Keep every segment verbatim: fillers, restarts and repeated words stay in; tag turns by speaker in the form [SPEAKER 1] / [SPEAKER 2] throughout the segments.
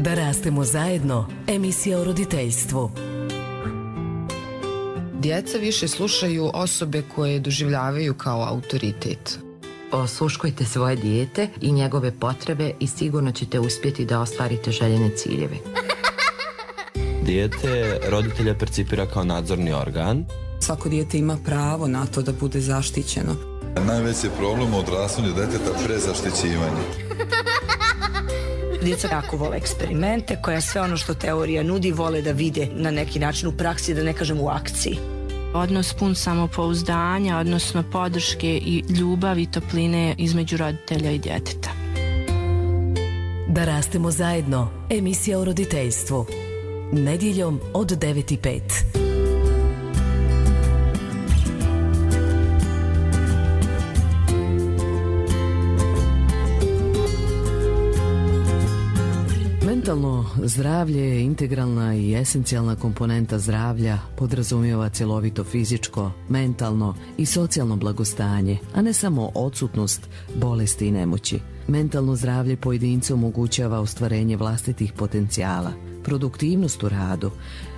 [SPEAKER 1] Da rastemo zajedno, emisija o roditeljstvu.
[SPEAKER 2] Djeca više slušaju osobe koje doživljavaju kao autoritet.
[SPEAKER 3] Osluškujte svoje dijete i njegove potrebe i sigurno ćete uspjeti da ostvarite željene ciljeve.
[SPEAKER 4] Dijete roditelja percipira kao nadzorni organ.
[SPEAKER 5] Svako dijete ima pravo na to da bude zaštićeno.
[SPEAKER 6] Najveći je problem u odrastanju deteta prezaštićivanje.
[SPEAKER 7] Djeca jako vole eksperimente, koja sve ono što teorija nudi vole da vide na neki način u praksi, da ne kažem u akciji.
[SPEAKER 8] Odnos pun samopouzdanja, odnosno podrške i ljubavi i topline između roditelja i djeteta.
[SPEAKER 1] Da rastemo zajedno, emisija o roditeljstvu. Nedjeljom od devet i pet. Mentalno zdravlje je integralna i esencijalna komponenta zdravlja, podrazumijeva cjelovito fizičko, mentalno i socijalno blagostanje, a ne samo odsutnost bolesti i nemoći. Mentalno zdravlje pojedincu omogućava ostvarenje vlastitih potencijala, produktivnost u radu,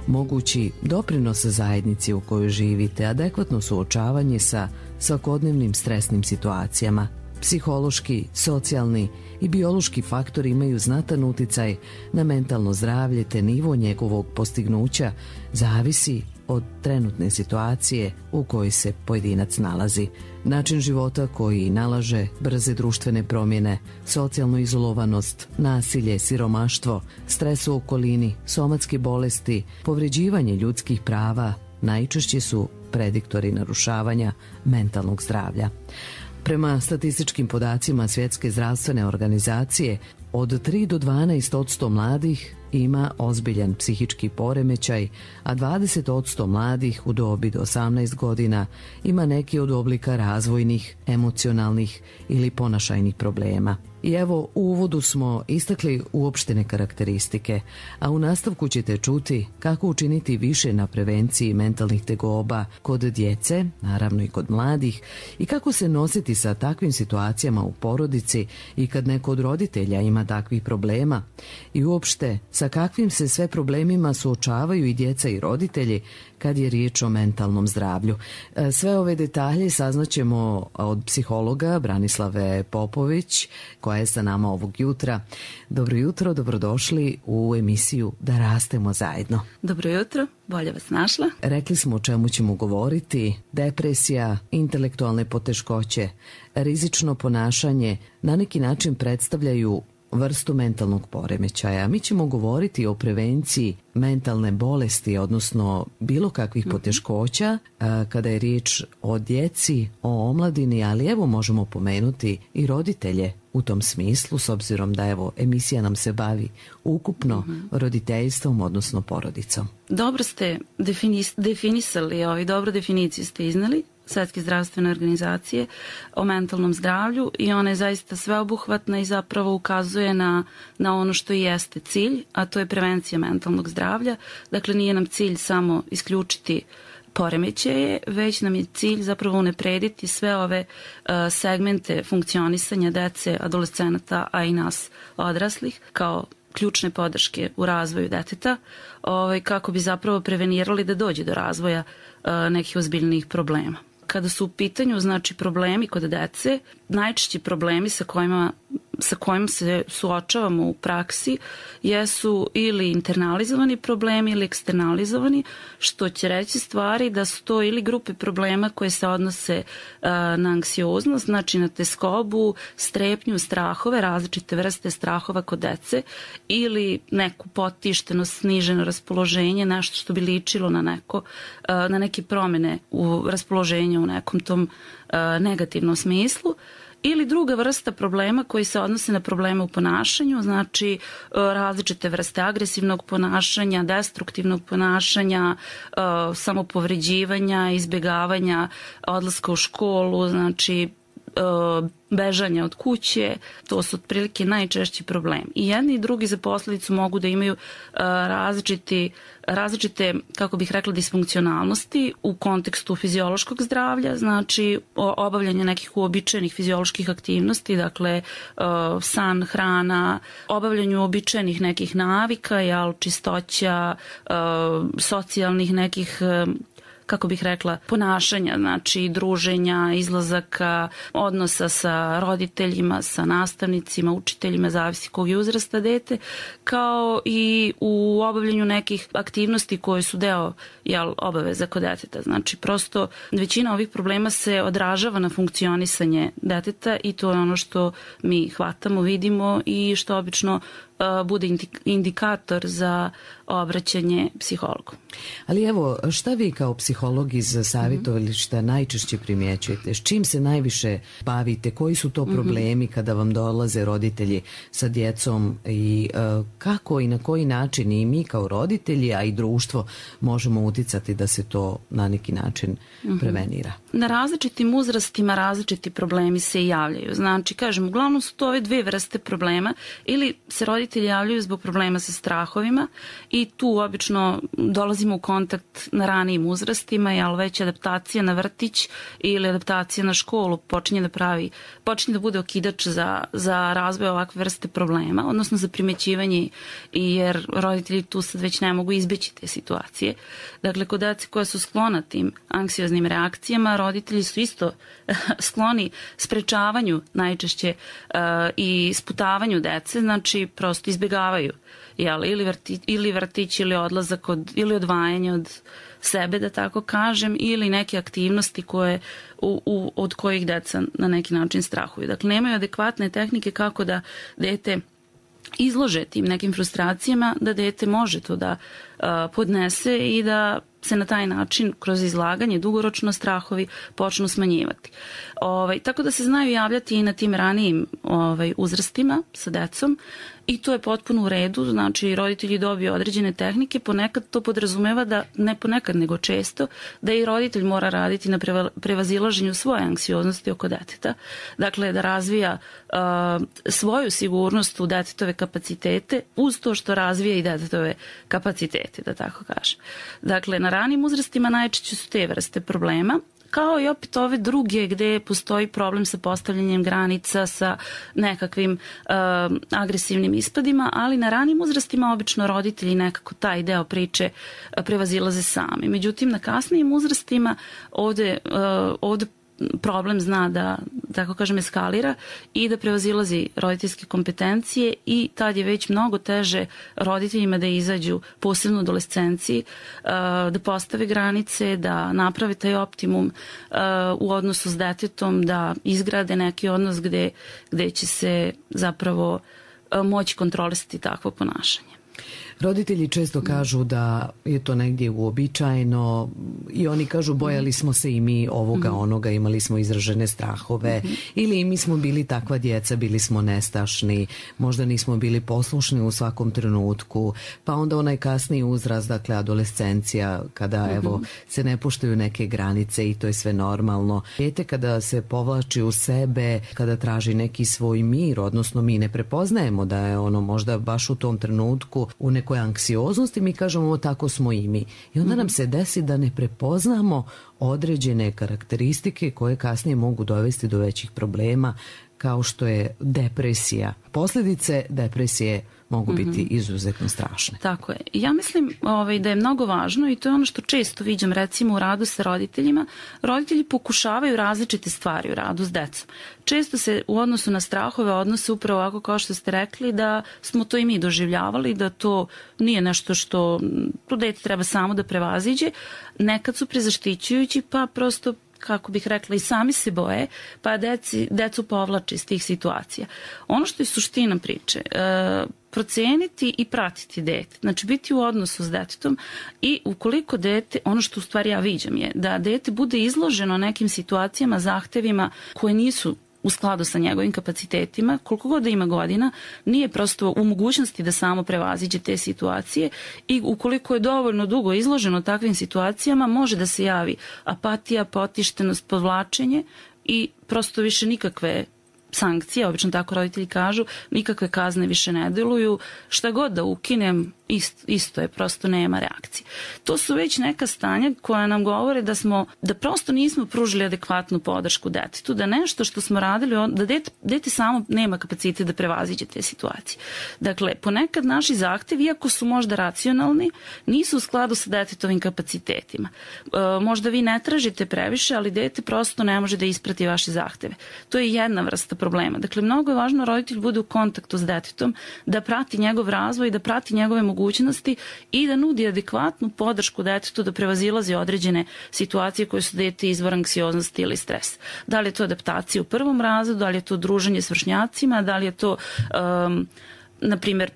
[SPEAKER 1] mogući doprinos zajednici u kojoj živite, adekvatno suočavanje sa svakodnevnim stresnim situacijama. Psihološki, socijalni i biološki faktori imaju znatan uticaj na mentalno zdravlje, te nivo njegovog postignuća zavisi od trenutne situacije u kojoj se pojedinac nalazi. Način života koji nalaže brze društvene promjene, socijalnu izolovanost, nasilje, siromaštvo, stres u okolini, somatske bolesti, povređivanje ljudskih prava najčešće su prediktori narušavanja mentalnog zdravlja. Prema statističkim podacima Svjetske zdravstvene organizacije, od tri do dvanaest posto mladih ima ozbiljan psihički poremećaj, a dvadeset posto mladih u dobi do osamnaest godina ima neki od oblika razvojnih, emocionalnih ili ponašajnih problema. I evo, u uvodu smo istakli uopštene karakteristike, a u nastavku ćete čuti kako učiniti više na prevenciji mentalnih tegoba kod djece, naravno i kod mladih, i kako se nositi sa takvim situacijama u porodici i kad neko od roditelja ima takvih problema, i uopšte sa kakvim se sve problemima suočavaju i djeca i roditelji kad je riječ o mentalnom zdravlju. Sve ove detalje saznaćemo od psihologa Branislave Popović, koja je sa nama ovog jutra. Dobro jutro, dobrodošli u emisiju Da rastemo zajedno.
[SPEAKER 9] Dobro jutro, bolje vas našla.
[SPEAKER 1] Rekli smo o čemu ćemo govoriti: depresija, intelektualne poteškoće, rizično ponašanje na neki način predstavljaju vrstu mentalnog poremećaja. Mi ćemo govoriti o prevenciji mentalne bolesti, odnosno bilo kakvih poteškoća kada je riječ o djeci, o omladini, ali evo možemo pomenuti i roditelje u tom smislu, s obzirom da evo emisija nam se bavi ukupno mm-hmm. roditeljstvom, odnosno porodicom.
[SPEAKER 9] Dobro ste definis, definisali, ovaj, dobro definiciju ste iznali Svjetske zdravstvene organizacije o mentalnom zdravlju, i ona je zaista sveobuhvatna i zapravo ukazuje na, na ono što i jeste cilj, a to je prevencija mentalnog zdravlja. Dakle, nije nam cilj samo isključiti poremećaje, već nam je cilj zapravo unaprediti sve ove uh, segmente funkcionisanja dece, adolescenata, a i nas odraslih, kao ključne podrške u razvoju deteta, ovaj, kako bi zapravo prevenirali da dođe do razvoja uh, nekih ozbiljnijih problema. Kada su u pitanju, znači, problemi kod dece, najčešći problemi sa kojima, sa kojim se suočavamo u praksi jesu ili internalizovani problemi ili eksternalizovani, što će reći stvari da su to ili grupe problema koje se odnose uh, na anksioznost, znači na teskobu, strepnju, strahove, različite vrste strahova kod dece, ili neku potištenost, sniženo raspoloženje, nešto što bi ličilo na, neko, uh, na neke promjene u raspoloženju u nekom tom uh, negativnom smislu. Ili druga vrsta problema koji se odnose na probleme u ponašanju, znači različite vrste agresivnog ponašanja, destruktivnog ponašanja, samopovređivanja, izbjegavanja odlaska u školu, znači bežanja od kuće, to su otprilike najčešći problem. I jedni i drugi za posledicu mogu da imaju različiti, različite, kako bih rekla, disfunkcionalnosti u kontekstu fiziološkog zdravlja, znači obavljanje nekih uobičajenih fizioloških aktivnosti, dakle san, hrana, obavljanju uobičajenih nekih navika, jel, čistoća, socijalnih nekih, kako bih rekla, ponašanja, znači druženja, izlazaka, odnosa sa roditeljima, sa nastavnicima, učiteljima, zavisi kog je uzrasta dete, kao i u obavljanju nekih aktivnosti koje su deo, jel, obaveza kod deteta. Znači, prosto većina ovih problema se odražava na funkcionisanje deteta i to je ono što mi hvatamo, vidimo i što obično bude indikator za obraćanje psihologu.
[SPEAKER 1] Ali evo, šta vi kao psiholog iz savjetovališta najčešće primjećujete? S čim se najviše bavite? Koji su to problemi kada vam dolaze roditelji sa djecom i uh, kako i na koji način i mi kao roditelji, a i društvo možemo uticati da se to na neki način prevenira?
[SPEAKER 9] Na različitim uzrastima različiti problemi se javljaju. Znači, kažem, uglavnom su to ove dve vrste problema, ili se roditelji javljaju zbog problema sa strahovima i tu obično dolazimo u kontakt na ranijim uzrastima, jel već adaptacija na vrtić ili adaptacija na školu počinje da pravi, počinje da bude okidač za, za razvoj ovakve vrste problema, odnosno za primećivanje, jer roditelji tu sad već ne mogu izbeći te situacije. Dakle, kod dece koja su sklona tim anksioznim reakcijama, roditelji su isto skloni sprečavanju najčešće uh, i sputavanju dece, znači prosto izbjegavaju, jel, ili, vrti, ili vrtić ili odlazak od, ili odvajanje od sebe, da tako kažem, ili neke aktivnosti koje, u, u, od kojih deca na neki način strahuju. Dakle, nemaju adekvatne tehnike kako da dete izlože tim nekim frustracijama, da dete može to da uh, podnese i da se na taj način kroz izlaganje dugoročno strahovi počnu smanjivati. Ovaj, tako da se znaju javljati i na tim ranijim ovaj, uzrastima sa decom i to je potpuno u redu, znači roditelji dobiju određene tehnike, ponekad to podrazumeva da, ne ponekad nego često, da i roditelj mora raditi na prevazilaženju svoje anksioznosti oko deteta, dakle da razvija uh, svoju sigurnost u detetove kapacitete uz to što razvija i detetove kapacitete, da tako kažem. Dakle, na ranim uzrastima najčešće su te vrste problema, kao i opet ove druge gde postoji problem sa postavljanjem granica, sa nekakvim uh, agresivnim ispadima, ali na ranim uzrastima obično roditelji nekako taj deo priče uh, prevazilaze sami. Međutim, na kasnijim uzrastima ovde, uh, ovde problem zna da, tako kažem, eskalira i da prevazilazi roditeljske kompetencije i tad je već mnogo teže roditeljima da izađu, posebno u adolescenciji, da postave granice, da naprave taj optimum u odnosu s detetom, da izgrade neki odnos gde, gde će se zapravo moći kontrolisati takvo ponašanje.
[SPEAKER 1] Roditelji često kažu da je to negdje uobičajeno i oni kažu bojali smo se i mi ovoga onoga, imali smo izražene strahove ili mi smo bili takva djeca, bili smo nestašni, možda nismo bili poslušni u svakom trenutku, pa onda onaj kasniji uzrast, dakle adolescencija, kada evo se ne puštaju neke granice i to je sve normalno. Dijete kada se povlači u sebe, kada traži neki svoj mir, odnosno mi ne prepoznajemo da je ono možda baš u tom trenutku u nekoj anksioznosti, mi kažemo ovo tako smo i mi. I onda nam se desi da ne prepoznamo određene karakteristike koje kasnije mogu dovesti do većih problema, kao što je depresija. Posljedice depresije mogu biti izuzetno strašne.
[SPEAKER 9] Tako je. Ja mislim ovaj, da je mnogo važno i to je ono što često viđam recimo u radu sa roditeljima. Roditelji pokušavaju različite stvari u radu s decom. Često se u odnosu na strahove odnose upravo ovako kao što ste rekli da smo to i mi doživljavali, da to nije nešto što to dete treba samo da prevaziđe. Nekad su prezaštićujući pa prosto kako bih rekla, i sami se boje, pa deci, decu povlače iz tih situacija. Ono što je suština priče, e, proceniti i pratiti dete, znači biti u odnosu s detetom i ukoliko dete, ono što u stvari ja viđam je da dete bude izloženo nekim situacijama, zahtevima koje nisu u skladu sa njegovim kapacitetima, koliko god da ima godina, nije prosto u mogućnosti da samo prevaziđe te situacije i ukoliko je dovoljno dugo izloženo takvim situacijama, može da se javi apatija, potištenost, podvlačenje i prosto više nikakve sankcije, obično tako roditelji kažu, nikakve kazne više ne deluju, šta god da ukinem, isto, isto je, prosto nema reakcije. To su već neka stanja koja nam govore da smo, da prosto nismo pružili adekvatnu podršku detetu, da nešto što smo radili, da dete, dete samo nema kapacitet da prevaziđe te situacije. Dakle, ponekad naši zahtevi, iako su možda racionalni, nisu u skladu sa detetovim kapacitetima. E, možda vi ne tražite previše, ali dete prosto ne može da isprati vaše zahteve. To je jedna vrsta problema. Dakle, mnogo je važno roditelj bude u kontaktu s detetom, da prati njegov razvoj, da prati njegove mogućnosti i da nudi adekvatnu podršku detetu da prevazilazi određene situacije koje su dete izvor anksioznosti ili stres. Da li je to adaptacija u prvom razredu, da li je to druženje s vršnjacima, da li je to um, na primjer,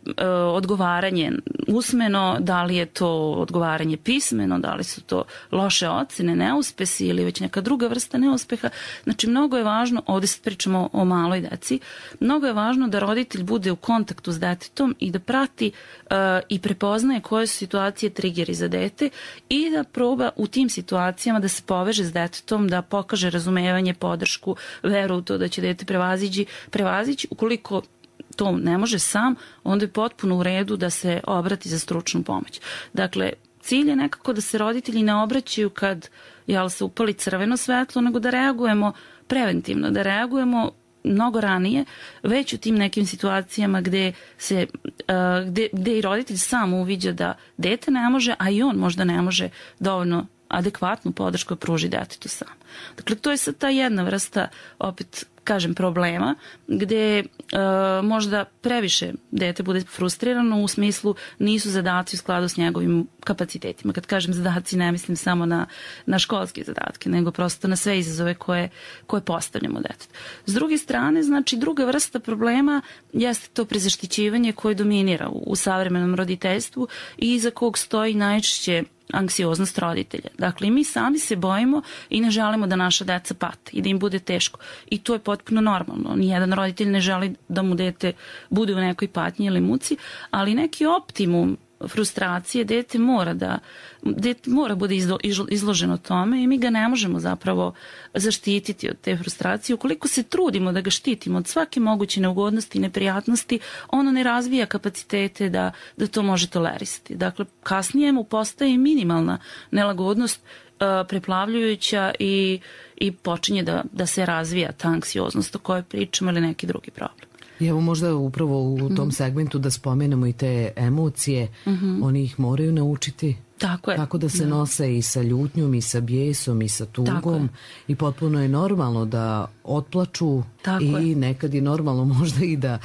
[SPEAKER 9] odgovaranje usmeno, da li je to odgovaranje pismeno, da li su to loše ocene, neuspesi ili već neka druga vrsta neuspeha. Znači, mnogo je važno, ovdje sad pričamo o maloj deci, mnogo je važno da roditelj bude u kontaktu s detetom i da prati uh, i prepoznaje koje su situacije triggeri za dete i da proba u tim situacijama da se poveže s detetom, da pokaže razumevanje, podršku, veru u to da će dete prevazići, prevazići. Ukoliko to ne može sam, onda je potpuno u redu da se obrati za stručnu pomoć. Dakle, cilj je nekako da se roditelji ne obraćaju kad jel, se upali crveno svetlo, nego da reagujemo preventivno, da reagujemo mnogo ranije, već u tim nekim situacijama gde, se, uh, gde, gde i roditelj sam uviđa da dete ne može, a i on možda ne može dovoljno adekvatnu podršku pruži detetu sam. Dakle, to je sad ta jedna vrsta, opet kažem, problema, gde e, možda previše dete bude frustrirano u smislu nisu zadaci u skladu s njegovim kapacitetima. Kad kažem zadaci, ne mislim samo na, na školske zadatke, nego prosto na sve izazove koje, koje postavljamo detetu. S druge strane, znači, druga vrsta problema jeste to prezaštićivanje koje dominira u, u savremenom roditeljstvu i iza kog stoji najčešće anksioznost roditelja. Dakle, mi sami se bojimo i ne želimo da naša deca pate i da im bude teško. I to je potpuno normalno. Nijedan roditelj ne želi da mu dete bude u nekoj patnji ili muci, ali neki optimum frustracije dete mora da dete mora bude izlo, izloženo tome i mi ga ne možemo zapravo zaštititi od te frustracije. Ukoliko se trudimo da ga štitimo od svake moguće neugodnosti i neprijatnosti, ono ne razvija kapacitete da, da to može tolerisati. Dakle, kasnije mu postaje minimalna nelagodnost uh, preplavljujuća i, i počinje da, da se razvija ta anksioznost o kojoj pričamo ili neki drugi problem.
[SPEAKER 1] I evo možda upravo u tom segmentu da spomenemo i te emocije, mm-hmm. oni ih moraju naučiti.
[SPEAKER 9] Tako je.
[SPEAKER 1] Kako da se da. nose i sa ljutnjom i sa bijesom i sa tugom i potpuno je normalno da otplaču. Tako i je. Nekad je normalno možda i da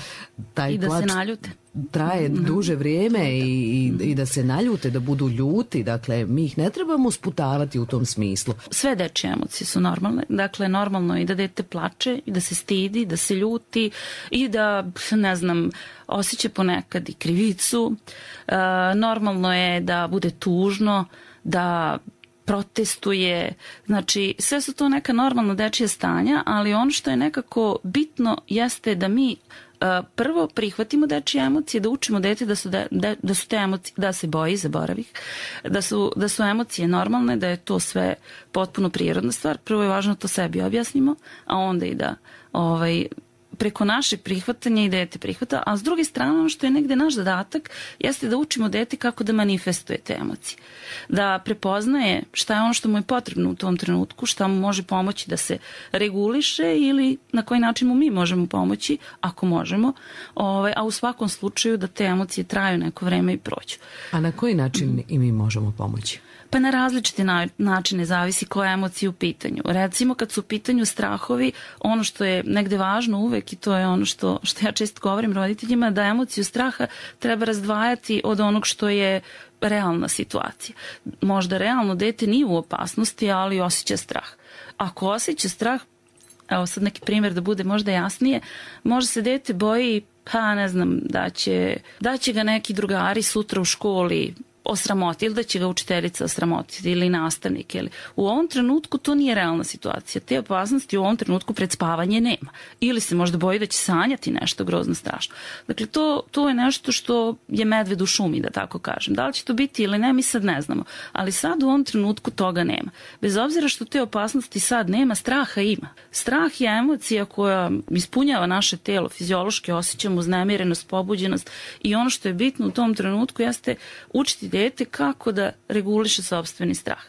[SPEAKER 1] taj
[SPEAKER 9] I da
[SPEAKER 1] plač
[SPEAKER 9] se naljute.
[SPEAKER 1] Traje mm-hmm. duže vrijeme i, i, i da se naljute, da budu ljuti. Dakle, mi ih ne trebamo sputavati u tom smislu.
[SPEAKER 9] Sve dečje emocije su normalne. Dakle, normalno je i da dete plače, i da se stidi, da se ljuti i da, ne znam, osjeća ponekad i krivicu. E, normalno je da bude tužno, da protestuje. Znači, sve su to neka normalna dečja stanja, ali ono što je nekako bitno jeste da mi prvo prihvatimo dečje emocije, da učimo dete da su, de, da su te emocije, da se boji, zaboravih, da su, da su emocije normalne, da je to sve potpuno prirodna stvar. Prvo je važno to sebi objasnimo, a onda i da ovaj, preko našeg prihvatanja i dete prihvata, a s druge strane ono što je negde naš zadatak jeste da učimo dete kako da manifestuje te emocije. Da prepoznaje šta je ono što mu je potrebno u tom trenutku, šta mu može pomoći da se reguliše ili na koji način mu mi možemo pomoći, ako možemo, ovaj, a u svakom slučaju da te emocije traju neko vreme i prođu.
[SPEAKER 1] A na koji način mm. i mi možemo pomoći?
[SPEAKER 9] Pa na različite načine, zavisi koja emocija u pitanju. Recimo kad su u pitanju strahovi, ono što je negde važno uvek i to je ono što, što ja često govorim roditeljima, da emociju straha treba razdvajati od onog što je realna situacija. Možda realno dete nije u opasnosti, ali osjeća strah. Ako osjeća strah, evo sad neki primjer da bude možda jasnije, možda se dete boji, pa ne znam, da će, da će ga neki drugari sutra u školi osramoti ili da će ga učiteljica osramotiti ili nastavnik. Ili. U ovom trenutku to nije realna situacija. Te opasnosti u ovom trenutku pred spavanje nema. Ili se možda boji da će sanjati nešto grozno strašno. Dakle, to, to je nešto što je medved u šumi, da tako kažem. Da li će to biti ili ne, mi sad ne znamo. Ali sad u ovom trenutku toga nema. Bez obzira što te opasnosti sad nema, straha ima. Strah je emocija koja ispunjava naše telo, fiziološki osjećamo uznemirenost, pobuđenost i ono što je bitno u tom trenutku jeste učiti dete kako da reguliše sopstveni strah.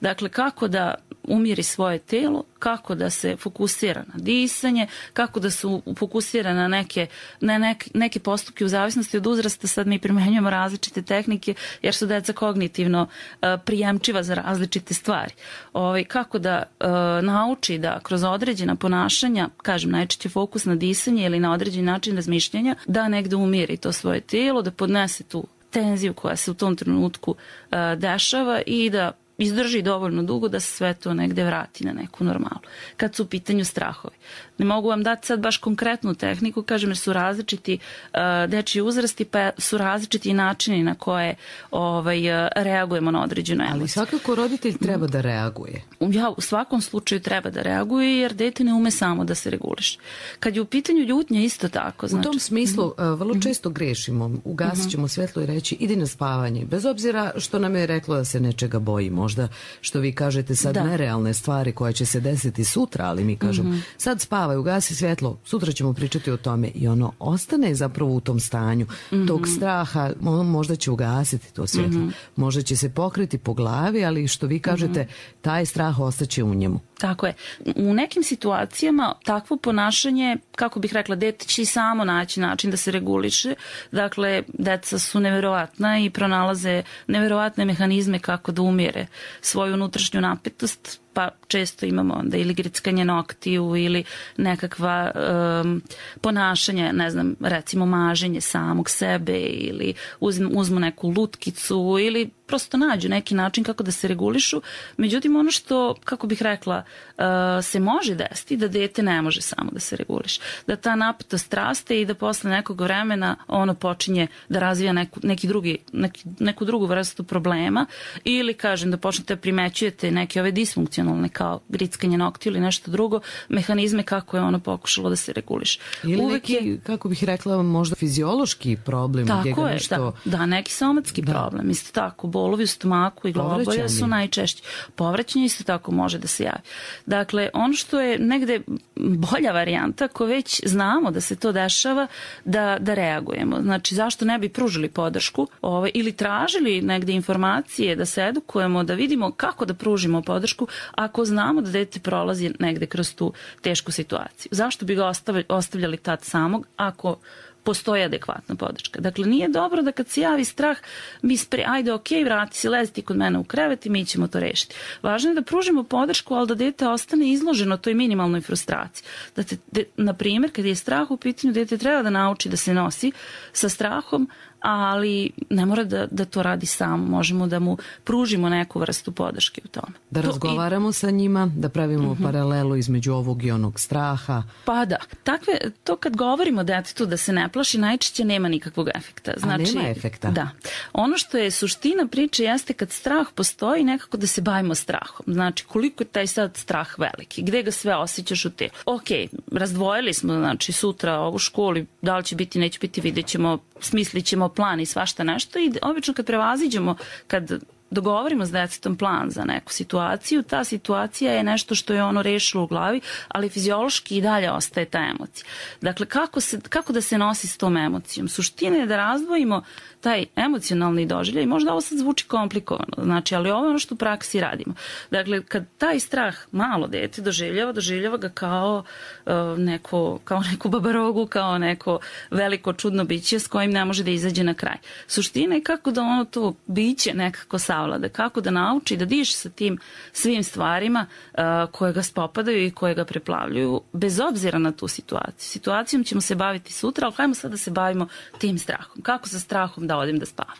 [SPEAKER 9] Dakle, kako da umiri svoje telo, kako da se fokusira na disanje, kako da se fokusira na neke, na neke, neke postupke u zavisnosti od uzrasta. Sad mi primenjujemo različite tehnike jer su deca kognitivno uh, prijemčiva za različite stvari. Ovaj, kako da uh, nauči da kroz određena ponašanja, kažem najčešće fokus na disanje ili na određen način razmišljanja, da negde umiri to svoje telo, da podnese tu tenziju koja se u tom trenutku uh, dešava i da izdrži dovoljno dugo da se sve to negde vrati na neku normalu. Kad su u pitanju strahovi. Ne mogu vam dati sad baš konkretnu tehniku, kažem jer su različiti uh, dečji uzrasti, pa su različiti načini na koje ovaj, reagujemo na određenu emociju.
[SPEAKER 1] Ali svakako roditelj treba da reaguje.
[SPEAKER 9] Ja u svakom slučaju treba da reaguje jer dete ne ume samo da se reguliše. Kad je u pitanju ljutnja isto tako. Znači,
[SPEAKER 1] u tom smislu uh, vrlo često grešimo. Ugasit ćemo svetlo i reći idi na spavanje. Bez obzira što nam je reklo da se nečega boji. Možda što vi kažete sad da. Nerealne stvari koje će se desiti sutra, ali mi kažemo mm-hmm. sad spavaj, ugasi svjetlo, sutra ćemo pričati o tome i ono ostane zapravo u tom stanju mm-hmm. tog straha, možda će ugasiti to svjetlo, mm-hmm. možda će se pokriti po glavi, ali što vi kažete mm-hmm. taj strah ostaće u njemu.
[SPEAKER 9] Tako je. U nekim situacijama takvo ponašanje, kako bih rekla, dete će i samo naći način da se reguliše. Dakle, deca su neverovatna i pronalaze neverovatne mehanizme kako da umire svoju unutrašnju napetost, pa često imamo onda ili grickanje noktiju ili nekakva um, ponašanje, ne znam, recimo maženje samog sebe ili uzmu, uzmu neku lutkicu ili prosto nađu neki način kako da se regulišu. Međutim, ono što, kako bih rekla, uh, se može desiti da dete ne može samo da se reguliše. Da ta napetost raste i da posle nekog vremena ono počinje da razvija neku, neki drugi, neki, neku drugu vrstu problema ili, kažem, da počnete da primećujete neke ove disfunkcionalne kao grickanje noktiju ili nešto drugo, mehanizme kako je ono pokušalo da se reguliše.
[SPEAKER 1] Ili uvek neki, je, kako bih rekla, možda fiziološki problem.
[SPEAKER 9] Tako je, nešto... da, da, neki somatski da. problem. Isto tako, bolovi u stomaku i glavobolje su najčešće. Povraćanje isto tako može da se javi. Dakle, ono što je negde bolja varijanta, ako već znamo da se to dešava, da, da reagujemo. Znači, zašto ne bi pružili podršku ovaj, ili tražili negde informacije, da se edukujemo, da vidimo kako da pružimo podršku ako znamo da dete prolazi negde kroz tu tešku situaciju. Zašto bi ga ostavljali tad samog ako postoji adekvatna podrška. Dakle, nije dobro da kad se javi strah, mi spre, ajde, ok, vrati se, lezi ti kod mene u krevet i mi ćemo to rešiti. Važno je da pružimo podršku, ali da dete ostane izloženo toj minimalnoj frustraciji. Da te, de, na primjer, kad je strah u pitanju, dete treba da nauči da se nosi sa strahom, ali ne mora da, da to radi sam. Možemo da mu pružimo neku vrstu podrške u tome.
[SPEAKER 1] Da
[SPEAKER 9] to
[SPEAKER 1] razgovaramo
[SPEAKER 9] i...
[SPEAKER 1] sa njima, da pravimo uh-huh. paralelu između ovog i onog straha.
[SPEAKER 9] Pa da. Takve, to kad govorimo detetu da se ne plaši, najčešće nema nikakvog efekta. Znači,
[SPEAKER 1] a nema efekta?
[SPEAKER 9] Da. Ono što je suština priče jeste kad strah postoji, nekako da se bavimo strahom. Znači, koliko je taj sad strah veliki, gde ga sve osjećaš u telu. Ok, razdvojili smo, znači, sutra ovu školu, da li će biti, neće biti, vidjet ćemo, smislit ćemo plan i svašta nešto i obično kad prevaziđemo, kad dogovorimo s detetom plan za neku situaciju, ta situacija je nešto što je ono rešilo u glavi, ali fiziološki i dalje ostaje ta emocija. Dakle, kako, se, kako da se nosi s tom emocijom? Suština je da razdvojimo taj emocionalni doživljaj. Možda ovo sad zvuči komplikovano, znači, ali ovo je ono što u praksi radimo. Dakle, kad taj strah malo dete doživljava, doživljava ga kao, uh, neko, kao neku babarogu, kao neko veliko čudno biće s kojim ne može da izađe na kraj. Suština je kako da ono to biće nekako savlada, kako da nauči da diše sa tim svim stvarima uh, koje ga spopadaju i koje ga preplavljuju, bez obzira na tu situaciju. Situacijom ćemo se baviti sutra, ali hajmo sad da se bavimo tim strahom. Kako sa strahom da odem da spavam?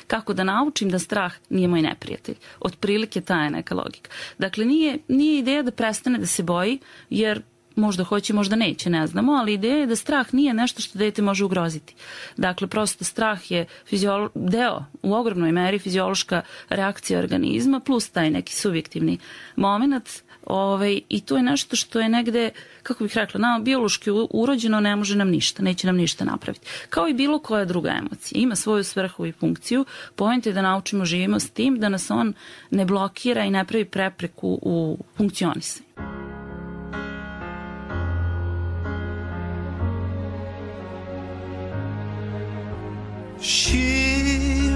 [SPEAKER 9] Kako da naučim da strah nije moj neprijatelj? Otprilike ta je neka logika. Dakle, nije, nije ideja da prestane da se boji, jer možda hoće, možda neće, ne znamo, ali ideja je da strah nije nešto što dete može ugroziti. Dakle, prosto strah je fiziolo- deo, u ogromnoj meri fiziološka reakcija organizma plus taj neki subjektivni moment. Ovaj, I to je nešto što je negde, kako bih rekla, nama biološki urođeno, ne može nam ništa, neće nam ništa napraviti. Kao i bilo koja druga emocija. Ima svoju svrhu i funkciju. Point je da naučimo živimo s tim, da nas on ne blokira i ne pravi prepreku u funkcionisanju.
[SPEAKER 10] She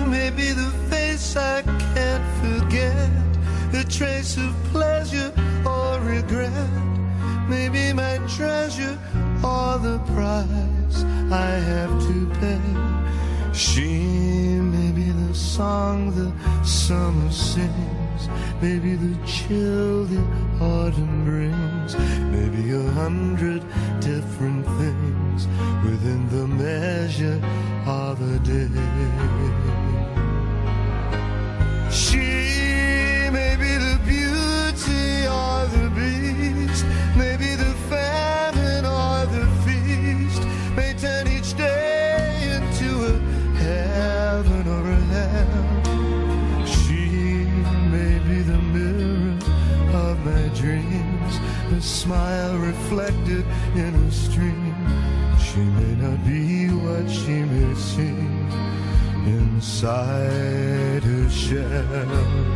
[SPEAKER 10] may be the face I can't forget, a trace of pleasure or regret, maybe my treasure or the price I have to pay. She may be the song the summer sings, maybe the chill the autumn brings, maybe a hundred different things within the measure of a day. She may be the beauty or the beast, maybe the famine or the feast, may turn each day into a heaven or a hell. She may be the mirror of my dreams, a smile reflected in a stream. She may not be what she may seem inside her shell.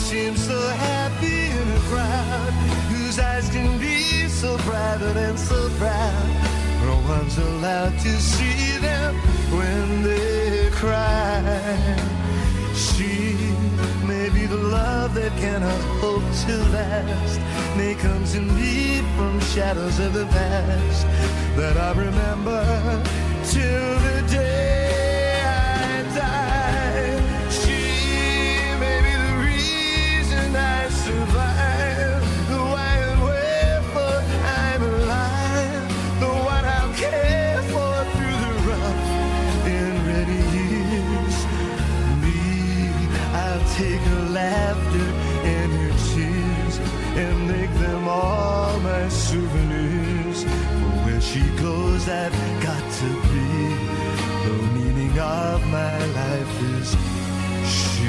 [SPEAKER 10] Seems so happy in a crowd whose eyes can be so private and so proud. No one's allowed to see them when they cry. She may be the love that cannot hope to last, may come to me from shadows of the past that I remember till the day I die. I survive, the why and wherefore I'm alive, the what I'll care for through the rough and ready years. Me, I'll take her laughter and her tears and make them all my souvenirs. For where she goes, I've got to be. The meaning of my life is she.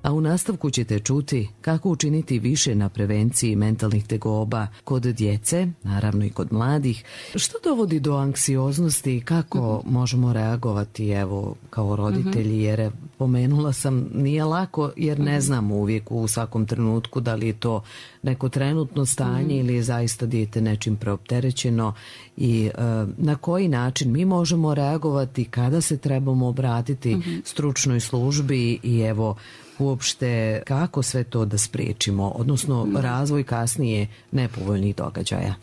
[SPEAKER 1] A u nastavku ćete čuti kako učiniti više na prevenciji mentalnih tegoba kod djece, naravno i kod mladih, što dovodi do anksioznosti i kako mm-hmm. možemo reagovati evo kao roditelji, jer pomenula sam nije lako jer ne znam uvijek u svakom trenutku da li je to neko trenutno stanje mm-hmm. ili je zaista dijete nečim preopterećeno i uh, na koji način mi možemo reagovati, kada se trebamo obratiti mm-hmm. stručnoj službi i evo uopšte kako sve to da spriječimo, odnosno razvoj kasnije nepovoljnih događaja.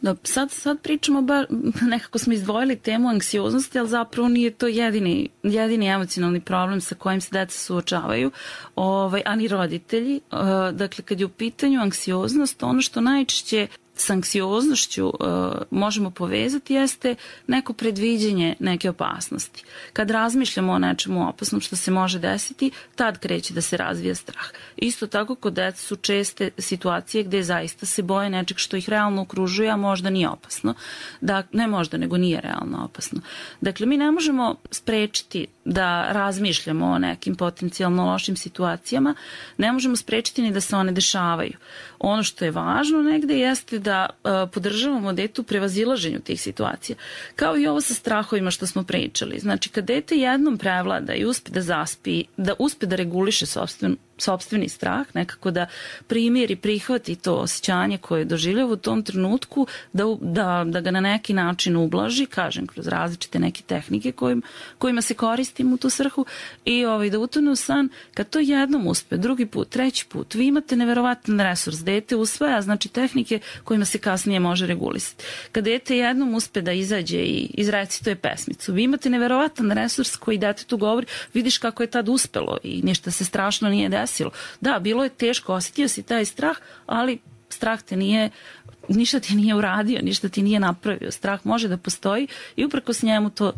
[SPEAKER 9] Da, sad, sad pričamo, bar, nekako smo izdvojili temu anksioznosti, ali zapravo nije to jedini, jedini emocionalni problem sa kojim se deca suočavaju, ovaj, ani roditelji. Uh, dakle, kad je u pitanju anksioznost, ono što najčešće s anksioznošću uh, možemo povezati jeste neko predviđenje neke opasnosti. Kad razmišljamo o nečemu opasnom što se može desiti, tad kreće da se razvija strah. Isto tako kod deca su česte situacije gdje zaista se boje nečeg što ih realno okružuje, a možda nije opasno. Da, ne možda, nego nije realno opasno. Dakle, mi ne možemo sprečiti da razmišljamo o nekim potencijalno lošim situacijama, ne možemo sprečiti ni da se one dešavaju. Ono što je važno negde jeste da da uh, podržavamo dete u prevazilaženju tih situacija. Kao i ovo sa strahovima što smo pričali. Znači, kad dete jednom prevlada i uspe da zaspi, da uspe da reguliše sopstven, sopstveni strah, nekako da primjeri, prihvati to osjećanje koje doživljava u tom trenutku, da, da, da ga na neki način ublaži, kažem, kroz različite neke tehnike kojim, kojima se koristimo u tu svrhu i ovaj, da utone u san. Kad to jednom uspe, drugi put, treći put, vi imate neverovatan resurs. Dete usvaja, znači tehnike kojima se kasnije može regulisati. Kad dete jednom uspe da izađe i izrecituje pesmicu, vi imate neverovatan resurs koji detetu govori, vidiš kako je tad uspelo i ništa se strašno nije desilo. Da, bilo je teško, osjetio si taj strah, ali strah te nije, ništa ti nije uradio, ništa ti nije napravio. Strah može da postoji i uprkos njemu to,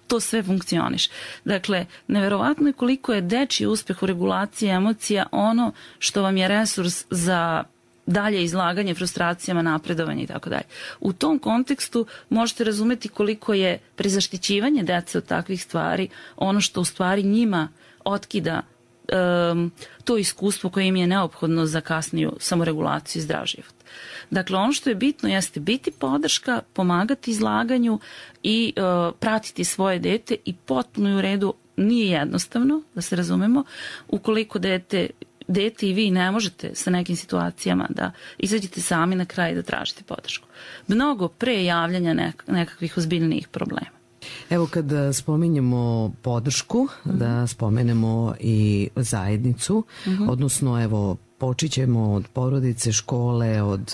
[SPEAKER 9] to sve funkcioniš. Dakle, neverovatno je koliko je dečiji uspeh u regulaciji emocija ono što vam je resurs za dalje izlaganje frustracijama, napredovanje i tako dalje. U tom kontekstu možete razumeti koliko je prezaštićivanje dece od takvih stvari ono što u stvari njima otkida um, to iskustvo koje im je neophodno za kasniju samoregulaciju i zdrav život. Dakle, ono što je bitno jeste biti podrška, pomagati izlaganju i uh, pratiti svoje dete i potpuno je u redu, nije jednostavno, da se razumemo, ukoliko dete dete i vi ne možete sa nekim situacijama da izađete sami na kraj i da tražite podršku. Mnogo pre javljanja nek- nekakvih ozbiljnijih problema.
[SPEAKER 1] Evo kad spominjemo podršku, uh-huh. da spomenemo i zajednicu, uh-huh. odnosno evo počićemo od porodice, škole, od,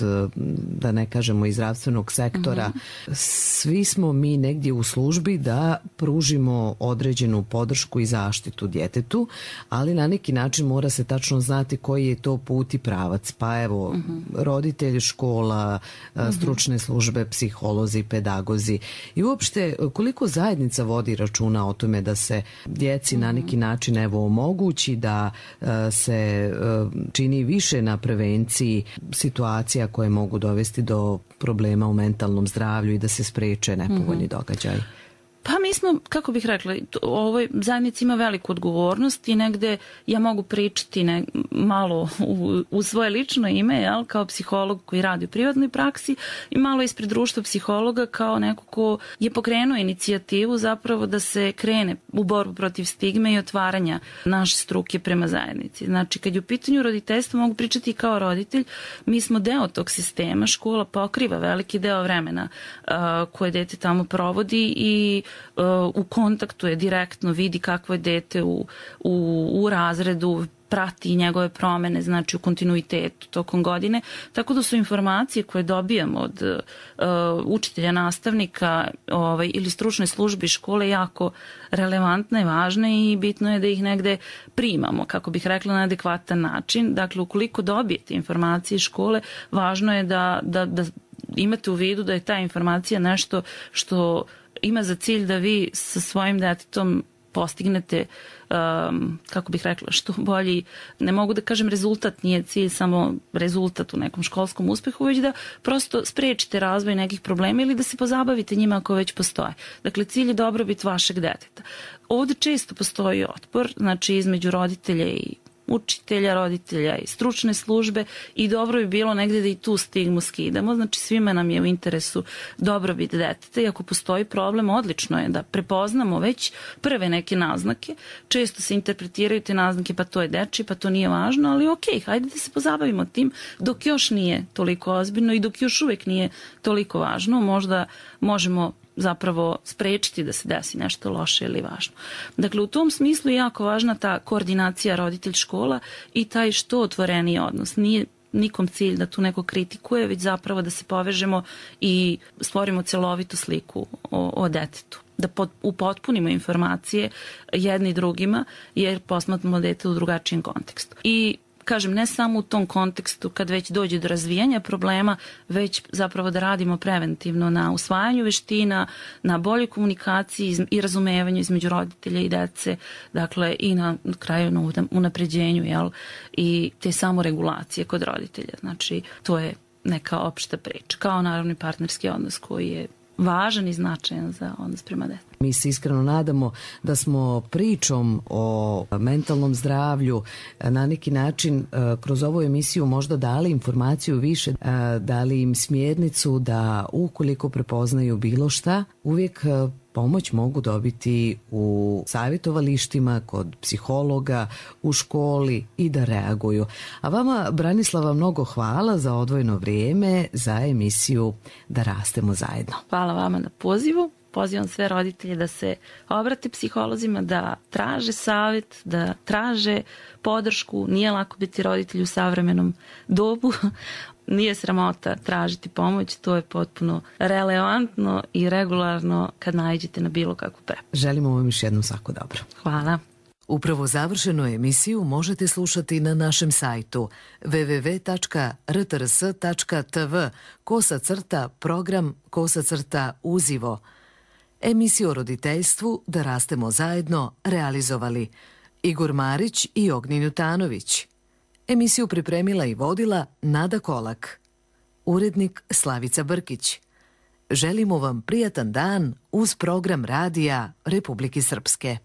[SPEAKER 1] da ne kažemo, iz zdravstvenog sektora. Mm-hmm. Svi smo mi negdje u službi da pružimo određenu podršku i zaštitu djetetu, ali na neki način mora se tačno znati koji je to put i pravac. Pa evo, mm-hmm. roditelj, škola, mm-hmm. stručne službe, psiholozi, pedagozi. I uopšte, koliko zajednica vodi računa o tome da se djeci mm-hmm. na neki način evo omogući da uh, se uh, čini više na prevenciji situacija koje mogu dovesti do problema u mentalnom zdravlju i da se spreče nepovoljni mm-hmm. događaj.
[SPEAKER 9] Pa mi smo, kako bih rekla, ovoj zajednici ima veliku odgovornost i negde ja mogu pričati ne, malo u, u svoje lično ime, jel, kao psiholog koji radi u privatnoj praksi i malo ispred društva psihologa kao neko ko je pokrenuo inicijativu zapravo da se krene u borbu protiv stigme i otvaranja naše struke prema zajednici. Znači, kad je u pitanju roditeljstva, mogu pričati kao roditelj, mi smo deo tog sistema, škola pokriva veliki deo vremena uh, koje dete tamo provodi i u kontaktu je direktno, vidi kakvo je dete u, u, u razredu, prati njegove promene, znači u kontinuitetu tokom godine, tako da su informacije koje dobijamo od uh, učitelja, nastavnika ovaj, ili stručne službe škole jako relevantne i važne i bitno je da ih negde primamo, kako bih rekla, na adekvatan način. Dakle, ukoliko dobijete informacije iz škole, važno je da, da, da imate u vidu da je ta informacija nešto što ima za cilj da vi sa svojim detetom postignete, um, kako bih rekla, što bolji, ne mogu da kažem rezultat, nije cilj samo rezultat u nekom školskom uspehu, već da prosto sprečite razvoj nekih problema ili da se pozabavite njima ako već postoje. Dakle, cilj je dobrobit vašeg deteta. Ovdje često postoji otpor, znači između roditelja i učitelja, roditelja i stručne službe i dobro bi bilo negdje da i tu stigmu skidamo. Znači svima nam je u interesu dobrobit deteta i ako postoji problem, odlično je da prepoznamo već prve neke naznake. Često se interpretiraju te naznake, pa to je deči, pa to nije važno, ali ok, hajde da se pozabavimo tim dok još nije toliko ozbiljno i dok još uvijek nije toliko važno. Možda možemo zapravo sprečiti da se desi nešto loše ili važno. Dakle, u tom smislu je jako važna ta koordinacija roditelj-škola i taj što otvoreniji odnos. Nije nikom cilj da tu neko kritikuje, već zapravo da se povežemo i stvorimo celovitu sliku o, o detetu. Da pot, upotpunimo informacije jedni drugima, jer posmatramo dete u drugačijem kontekstu. I kažem, ne samo u tom kontekstu kad već dođe do razvijanja problema, već zapravo da radimo preventivno na usvajanju veština, na boljoj komunikaciji i razumevanju između roditelja i dece, dakle i na kraju na unapređenju, jel, i te samoregulacije kod roditelja. Znači, to je neka opšta priča, kao naravno i partnerski odnos koji je važan i značajan za odnos prema detetu.
[SPEAKER 1] Mi se iskreno nadamo da smo pričom o mentalnom zdravlju na neki način kroz ovu emisiju možda dali informaciju više, dali im smjernicu da ukoliko prepoznaju bilo šta, uvijek pomoć mogu dobiti u savjetovalištima, kod psihologa, u školi i da reaguju. A vama, Branislava, mnogo hvala za odvojeno vrijeme za emisiju Da rastemo zajedno.
[SPEAKER 9] Hvala vama na pozivu. Pozivam sve roditelje da se obrate psiholozima, da traže savjet, da traže podršku. Nije lako biti roditelj u savremenom dobu. Nije sramota tražiti pomoć, to je potpuno relevantno i regularno kad naiđete na bilo kakvu preporuku.
[SPEAKER 1] Želimo vam još jednom svako dobro.
[SPEAKER 9] Hvala.
[SPEAKER 1] Upravo završenu emisiju možete slušati na našem sajtu w w w tačka r t r s tačka t v kosa crta program kosa crta uzivo. Emisiju o roditeljstvu Da rastemo zajedno realizovali Igor Marić i Ognjen Jutanović. Emisiju pripremila i vodila Nada Kolak. Urednik Slavica Brkić. Želimo vam prijatan dan uz program radija Republike Srpske.